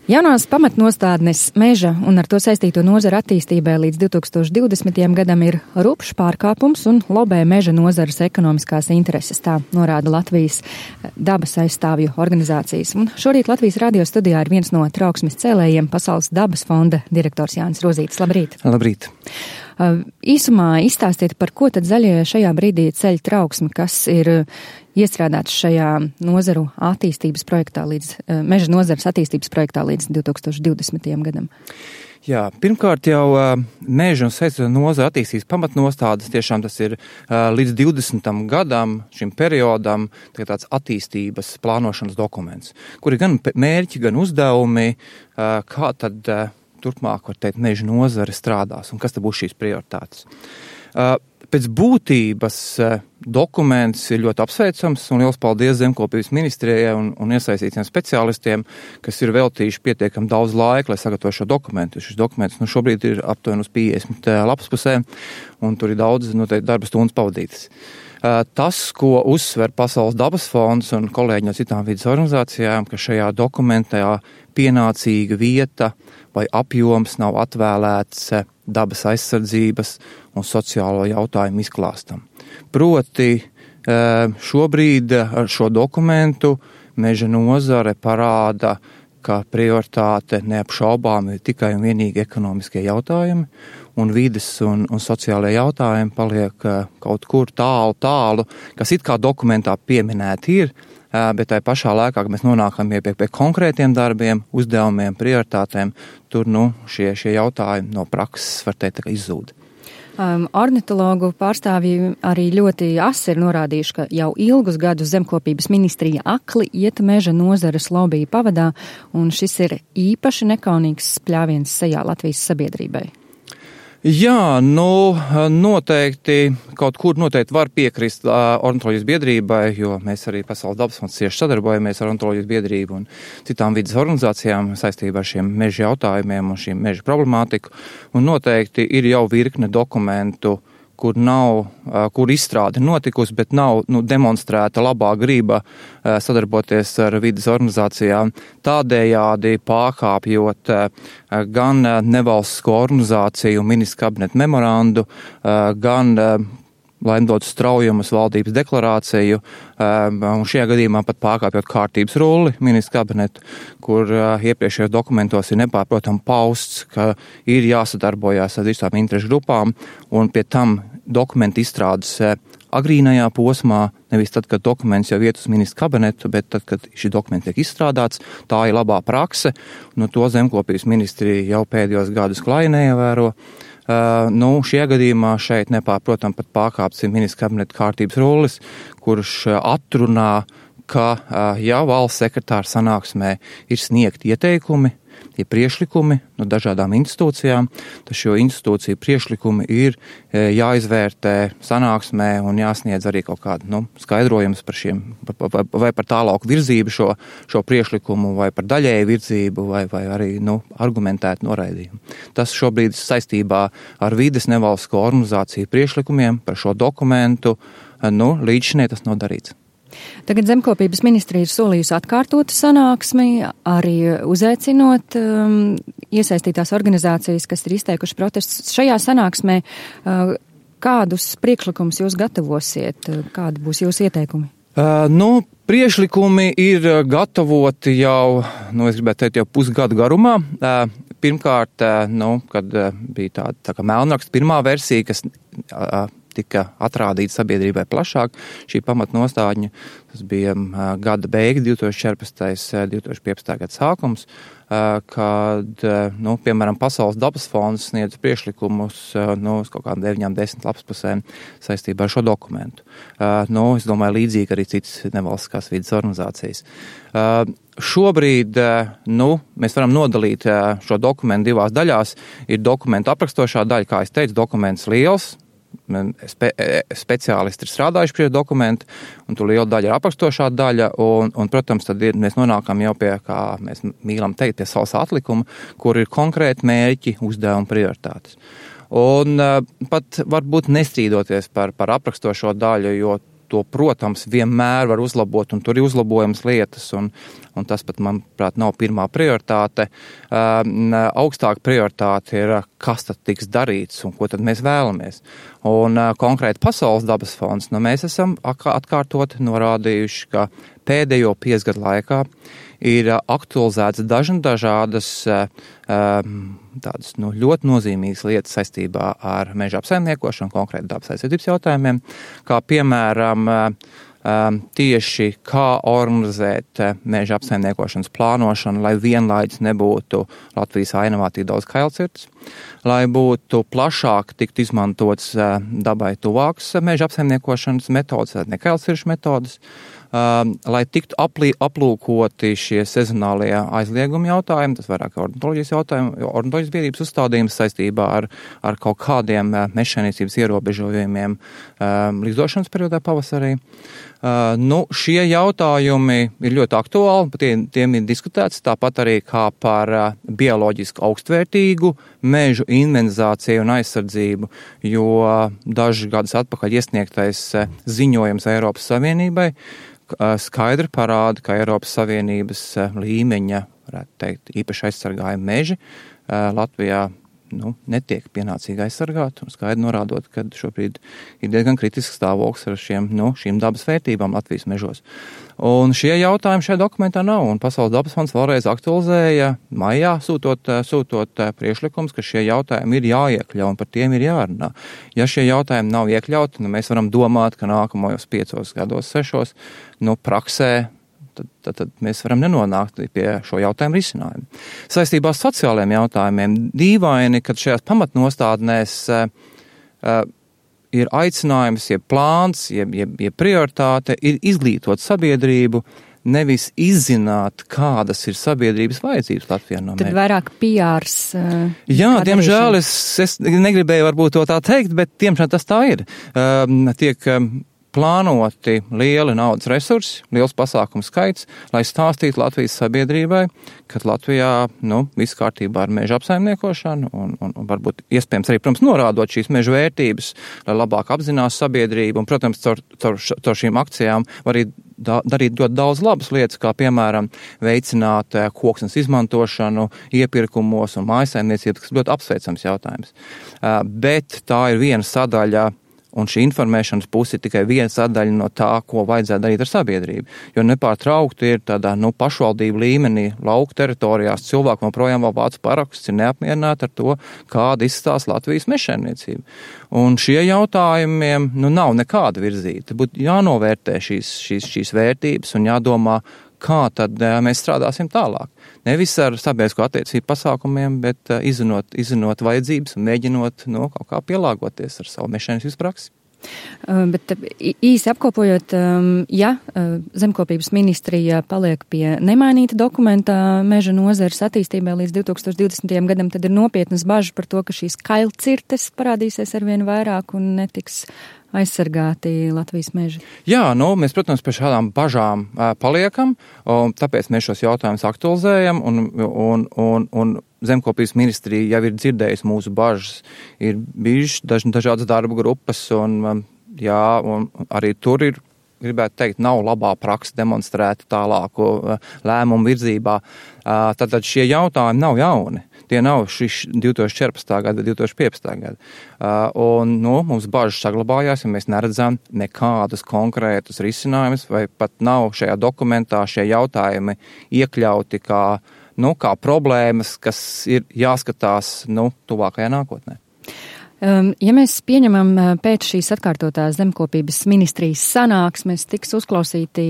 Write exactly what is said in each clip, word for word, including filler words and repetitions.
Jaunās pamatnostādnes meža un ar to saistīto nozaru attīstībai līdz divi tūkstoši divdesmitajam gadam ir rupšs pārkāpums un lobē meža nozares ekonomiskās intereses, tā norāda Latvijas dabas aizstāvju organizācijas. Un šorīt Latvijas radio studijā ir viens no trauksmes cēlējiem, Pasaules dabas fonda direktors Jānis Rozītis. Labrīt! Labrīt! Īsumā izstāstiet, par ko tad zaļie šajā brīdī ceļ trauksmi, kas ir iestrādāts šajā nozaru attīstības projektā līdz, meža nozares attīstības projektā līdz divi tūkstoši divdesmitajam gadam? Jā, pirmkārt jau meža un saistīto nozaru attīstības pamatnostādes, tiešām tas ir līdz divdesmitam gadam, šim periodam, tāds attīstības plānošanas dokuments, kur ir gan mērķi, gan uzdevumi, kā tad turpmāk, var teikt, meža nozare strādās un kas tad būs šīs prioritātes. Pēc būtības dokuments ir ļoti apsveicams un liels paldies Zemkopības ministrijai un, un iesaistītiem speciālistiem, kas ir veltījuši pietiekami daudz laika, lai sagatavo šo dokumentu. Šis dokuments nu, šobrīd ir aptuveni uz piecdesmit lapaspusē un tur ir daudz noteikti darba stundas pavadītas. Tas, ko uzsver Pasaules dabas fonds un kolēģi no citām vidas organizācijām, ka šajā dokumentā pienācīga vieta vai apjoms nav atvēlēts dabas aizsardzības un sociālo jautājumu izklāstam. Proti, šobrīd ar šo dokumentu meža nozare parāda, ka prioritāte neapšaubām ir tikai un vienīgi ekonomiskie jautājumi, un vides un, un sociālajie jautājumi paliek kaut kur tālu, tālu, kas it kā dokumentā pieminēti ir, bet tai pašā laikā, kad mēs nonākam pie, pie konkrētiem darbiem, uzdevumiem, prioritātēm, tur nu, šie, šie jautājumi no prakses, var teikt, tā kā izzūd. Um, ornitologu pārstāvji arī ļoti asi ir norādījuši, ka jau ilgus gadus Zemkopības ministrija akli iet meža nozares lobby pavadā, un šis ir īpaši nekaunīgs spļāviens sejā Latvijas sabiedrībai. Jā, nu noteikti, kaut kur noteikti var piekrist uh, ornitoloģijas biedrībai, jo mēs arī Pasaules dabas fonds cieši sadarbojamies ar ornitoloģijas biedrību un citām vidas organizācijām saistībā ar šiem meža jautājumiem un šīm meža problemātiku. Un noteikti ir jau virkne dokumentu, kur nav, kur izstrāde notikusi, bet nav nu, demonstrēta labā grība sadarboties ar vidas organizācijām, tādējādi pārkāpjot gan nevalstisko organizāciju ministra kabineta memorandu, gan laimdotu straujumus valdības deklarāciju, un šajā gadījumā pat pārkāpjot kārtības rulli ministra kabinetu, kur iepriekšējos dokumentos ir nepārprotam pausts, ka ir jāsadarbojās ar visām interešu grupām, un pie tam dokumentu izstrādes agrīnajā posmā, nevis tad, kad dokuments jau iet uz ministra kabinetu, bet tad, kad šī dokumenta tiek izstrādāts, tā ir labā prakse, un to Zemkopības ministrija jau pēdējos gadus klāji neievēro. Uh, nu, šajā gadījumā šeit nepārprotam pat pārkāpts ir ministra kabineta kārtības rullis, kurš atrunā, ka uh, ja valsts sekretāra sanāksmē ir sniegti ieteikumi, ir priešlikumi no dažādām institūcijām, tad šo institūciju priešlikumi ir e, jāizvērtē sanāksmē un jāsniedz arī kaut kādu nu, skaidrojums par šiem, vai, vai par tālāku virzību šo, šo priešlikumu, vai par daļēju virzību, vai, vai arī nu, argumentētu noraidījumu. Tas šobrīd saistībā ar vides nevalstisko organizāciju priešlikumiem par šo dokumentu, nu, līdz šinē tas nav darīts. Tagad Zemkopības ministrija ir solījusi atkārtot sanāksmi, arī uzaicinot um, iesaistītās organizācijas, kas ir izteikuši protestus. Šajā sanāksmē uh, kādus priekšlikumus jūs gatavosiet, kādi būs jūsu ieteikumi? Uh, nu, priekšlikumi ir gatavoti jau, nu, es gribētu teikt, jau pusgadu garumā. Uh, pirmkārt, uh, nu, kad uh, bija tāda tā kā melnraksta pirmā versija, kas uh, tika atrādīta sabiedrībai plašāk, šī pamatnostādņa, tas bija uh, gada beigas, divi tūkstoši četrpadsmitais divi tūkstoši piecpadsmitais gada sākums, uh, kad, uh, nu, piemēram, Pasaules dabas fonds sniedz priekšlikumus, uh, nu, uz kaut kādām deviņām desmit lapspusēm saistībā ar šo dokumentu. Uh, nu, es domāju, līdzīgi arī citas nevalstiskās vidas organizācijas. Uh, šobrīd, uh, nu, mēs varam nodalīt uh, šo dokumentu divās daļās. Ir dokumentu aprakstošā daļa, kā es teicu, dokuments liels, Spe, speciālisti ir strādājuši pie dokumenta, un tur liela daļa ir aprakstošā daļa, un, un protams, tad ir, mēs nonākam jau pie, kā mēs mīlam teikt, pie savas atlikuma, kur ir konkrēti mērķi, uzdevumi, prioritātes. Un uh, pat varbūt nestrīdoties par, par aprakstošo daļu, jo to, protams, vienmēr var uzlabot, un tur ir uzlabojams lietas, un, un tas pat, manuprāt, nav pirmā prioritāte. Augstāka prioritāte ir, kas tad tiks darīts, un ko tad mēs vēlamies. Un konkrēti Pasaules dabas fonds, nu, mēs esam atkārtot norādījuši, ka pēdējo piecgadu laikā ir aktualizētas dažna dažādas tādas nu, ļoti nozīmīgas lietas saistībā ar meža apsaimniekošanu, konkrēti dabas aizsardzības jautājumiem, kā piemēram tieši kā organizēt meža apsaimniekošanas plānošanu, lai vienlaicīgi nebūtu Latvijas ainavā tik daudz kailcirtes, lai būtu plašāk tikt izmantots dabai tuvākas meža apsaimniekošanas metodas, ne kailciršu metodas, Uh, lai tiktu aplī, aplūkoti šie sezonālie aizliegumi jautājumi, tas vairāk ornitoloģijas jautājumi, ornitoloģijas biedrības uzstādījums saistībā ar, ar kaut kādiem uh, mežsaimniecības ierobežojumiem uh, līgzošanas periodā pavasarī. Uh, nu, šie jautājumi ir ļoti aktuāli, tie, tiem ir diskutēts, tāpat arī kā par uh, bioloģiski augstvērtīgu mežu inventarizāciju un aizsardzību, jo uh, dažus gadus atpakaļ iesniegtais uh, ziņojums Eiropas Savienībai skaidri parāda, ka Eiropas Savienības līmeņa, varētu teikt, īpaši aizsargājumi meži Latvijā nu, netiek pienācīgi aizsargāti, un skaidri norādot, ka šobrīd ir diezgan kritisks stāvoklis ar šiem, nu, šīm dabas vērtībām Latvijas mežos. Un šie jautājumi šajā dokumentā nav, un Pasaules dabas fonds vēlreiz aktualizēja maijā, sūtot, sūtot priekšlikums, ka šie jautājumi ir jāiekļau, un par tiem ir jārunā. Ja šie jautājumi nav iekļauti, nu, mēs varam domāt, ka nākamajos piecos gados, sešos, nu, praksē, Tad, tad, tad mēs varam nenonākt pie šo jautājumu risinājumu. Saistībā ar sociālajiem jautājumiem dīvaini, kad šajās pamatnostādnēs uh, uh, ir aicinājums, jeb plāns, jeb, jeb, jeb prioritāte ir izglītot sabiedrību, nevis izzināt, kādas ir sabiedrības vajadzības Latvijā no Tad mērķa. vairāk P Rs. Uh, Jā, diemžēl es, es negribēju varbūt to tā teikt, bet diemžēl tas tā ir. Uh, tiek um, plānoti lieli naudas resursi, liels pasākumu skaits, lai stāstītu Latvijas sabiedrībai, ka Latvijā, nu, viss kārtībā ar meža apsaimniekošanu un, un, un varbūt iespējams arī, protams, norādot šīs meža vērtības, lai labāk apzinās sabiedrību un, protams, caur, caur, caur šīm akcijām var arī da, darīt ļoti daudz labas lietas, kā, piemēram, veicināt koksnes izmantošanu iepirkumos un mājasaimniecības, kas ļoti apsveicams jautājums. Bet tā ir viena sadaļa. Un šī informēšanas puse ir tikai viena sadaļa no tā, ko vajadzētu darīt ar sabiedrību. Jo nepārtraukti ir tādā nu, pašvaldību līmenī, lauku teritorijās cilvēki joprojām vēl vāc parakstus, ir neapmierināti ar to, kāda izstās Latvijas mežsaimniecība. Un šie jautājumiem nu, nav nekāda virzīta. Būtu jānovērtē šīs, šīs, šīs vērtības un jādomā, kā tad mēs strādāsim tālāk. Nevis ar sabiedrisko attiecību pasākumiem, bet izzinot, izzinot vajadzības un mēģinot no, kaut kā pielāgoties ar savu mežsaimniecības praksi. Bet īsi apkopojot, ja zemkopības ministrija paliek pie nemainīta dokumenta meža nozares attīstībai līdz divi tūkstoši divdesmitajam gadam, tad ir nopietnas bažas par to, ka šīs kailcirtes parādīsies arvien vairāk un netiks aizsargāti Latvijas meži. Jā, nu, mēs, protams, pie šādām bažām uh, paliekam, un tāpēc mēs šos jautājumus aktualizējam, un, un, un, un zemkopības ministrija jau ir dzirdējusi mūsu bažas, ir bijušas daž, dažādas darba grupas, un, um, jā, un arī tur ir, gribētu teikt, nav labā praksa demonstrēta tālāko uh, lēmumu virzībā. Uh, tātad šie jautājumi nav jauni. Tie nav šis divi tūkstoši četrpadsmitā gada, divi tūkstoši piecpadsmitā gada. Uh, un, nu, mums bažas saglabājās, ja mēs neredzam nekādus konkrētus risinājumus, vai pat nav šajā dokumentā šie jautājumi iekļauti kā, nu, kā problēmas, kas ir jāskatās, nu, tuvākajā nākotnē. Ja mēs pieņemam pēc šīs atkārtotās zemkopības ministrijas sanāksmes, tiks uzklausīti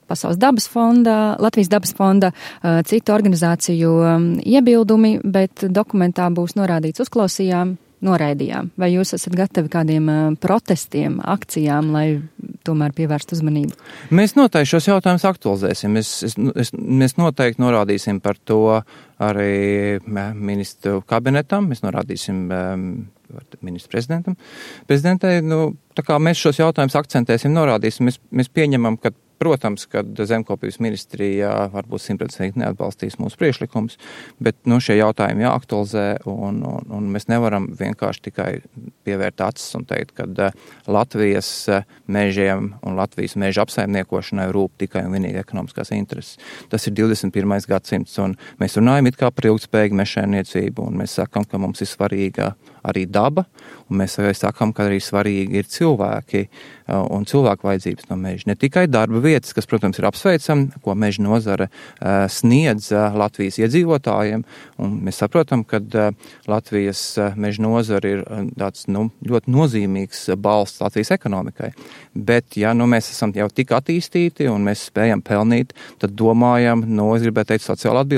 Pasaules dabas fonda, Latvijas dabas fonda, citu organizāciju iebildumi, bet dokumentā būs norādīts uzklausījām, noraidījām. Vai jūs esat gatavi kādiem protestiem, akcijām, lai tomēr pievērst uzmanību? Mēs noteikti šos jautājumus aktualizēsim. Es, es, es, mēs noteikti norādīsim par to arī ministru kabinetam, mēs norādīsim um, ministru prezidentam. Prezidentei, nu, tā kā mēs šos jautājumus akcentēsim, norādīsim, mēs, mēs pieņemam, ka protams, kad zemkopības ministrijā varbūt simtprocentīgi neatbalstīs mūsu priekšlikumus, bet nu, šie jautājumi jāaktualizē, un, un, un mēs nevaram vienkārši tikai pievērt acis un teikt, ka Latvijas mežiem un Latvijas meža apsaimniekošanai rūp tikai un vienīgi ekonomiskās intereses. Tas ir divdesmit pirmais gadsimts, un mēs runājam it kā par ilgtspējīgu mežsaimniecību, un mēs sakam, ka mums ir svarīga arī daba, un mēs arī sakam, ka arī svarīgi ir cilvēki un cilvēku vajadzības no meža. Ne tikai darba vietas, kas, protams, ir apsveicami, ko meža nozare sniedz Latvijas iedzīvotājiem, un mēs saprotam, ka Latvijas meža nozare ir tāds, nu, ļoti nozīmīgs balsts Latvijas ekonomikai. Bet, ja nu, mēs esam jau tik attīstīti un mēs spējam pelnīt, tad domājam, nu, es gribētu teikt, sociāli atbildīgi.